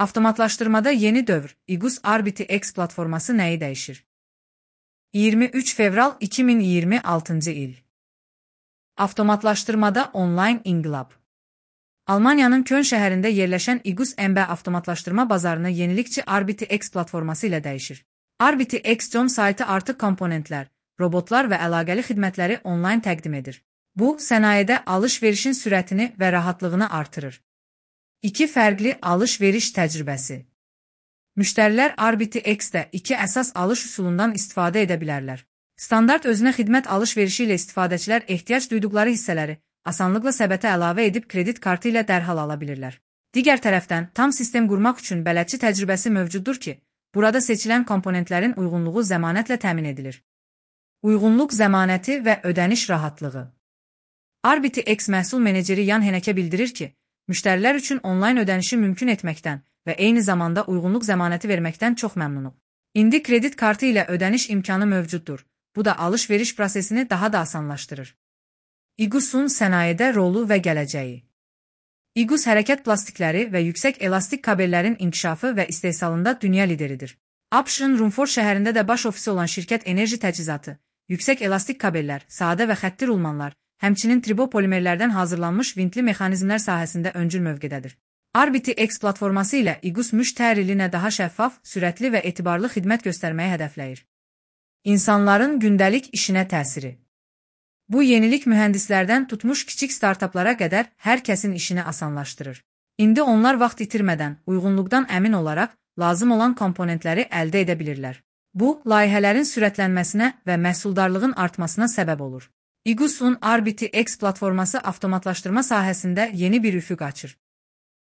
Avtomatlaşdırmada yeni dövr, İGUS RBTX platforması nəyi dəyişir? 23 fevral 2026-cı il. Avtomatlaşdırmada onlayn inqilab. Almaniyanın Köln şəhərində yerləşən İGUS MB avtomatlaşdırma bazarını yenilikçi RBTX platforması ilə dəyişir. RBTX.com saytı artıq komponentlər, robotlar və əlaqəli xidmətləri onlayn təqdim edir. Bu, sənayedə alış-verişin sürətini və rahatlığını artırır. 2 fərqli alış-veriş təcrübəsi. Müştərilər RBTX-də 2 əsas alış üsulundan istifadə edə bilərlər. Standart özünə xidmət alış-verişi ilə istifadəçilər ehtiyac duyduqları hissələri asanlıqla səbətə əlavə edib kredit kartı ilə dərhal ala bilirlər. Digər tərəfdən, tam sistem qurmaq üçün bələdçi təcrübəsi mövcuddur ki, burada seçilən komponentlərin uyğunluğu zəmanətlə təmin edilir. Uyğunluq zəmanəti və ödəniş rahatlığı. RBTX məhsul meneceri Jan Heneke bildirir ki, müştərilər üçün onlayn ödənişi mümkün etməkdən və eyni zamanda uyğunluq zəmanəti verməkdən çox məmnunum. İndi kredit kartı ilə ödəniş imkanı mövcuddur. Bu da alış-veriş prosesini daha da asanlaşdırır. İGUS-un sənayedə rolu və gələcəyi. İGUS hərəkət plastikləri və yüksək elastik kabellərin inkişafı və istehsalında dünya lideridir. ABŞ-ın Rumford şəhərində də baş ofisi olan şirkət enerji təchizatı, yüksək elastik kabellər, sadə və xətti rulmanlar, həmçinin tribopolimerlərdən hazırlanmış vintli mexanizmlər sahəsində öncül mövqedədir. RBTX platforması ilə İGUS müştərilinə daha şəffaf, sürətli və etibarlı xidmət göstərməyi hədəfləyir. İnsanların gündəlik işinə təsiri. Bu yenilik mühəndislərdən tutmuş kiçik startaplara qədər hər kəsin işini asanlaşdırır. İndi onlar vaxt itirmədən, uyğunluqdan əmin olaraq lazım olan komponentləri əldə edə bilirlər. Bu, layihələrin sürətlənməsinə və məhsuldarlığın artmasına səbəb olur. İGUS-un RBTX platforması avtomatlaşdırma sahəsində yeni bir üfüq açır.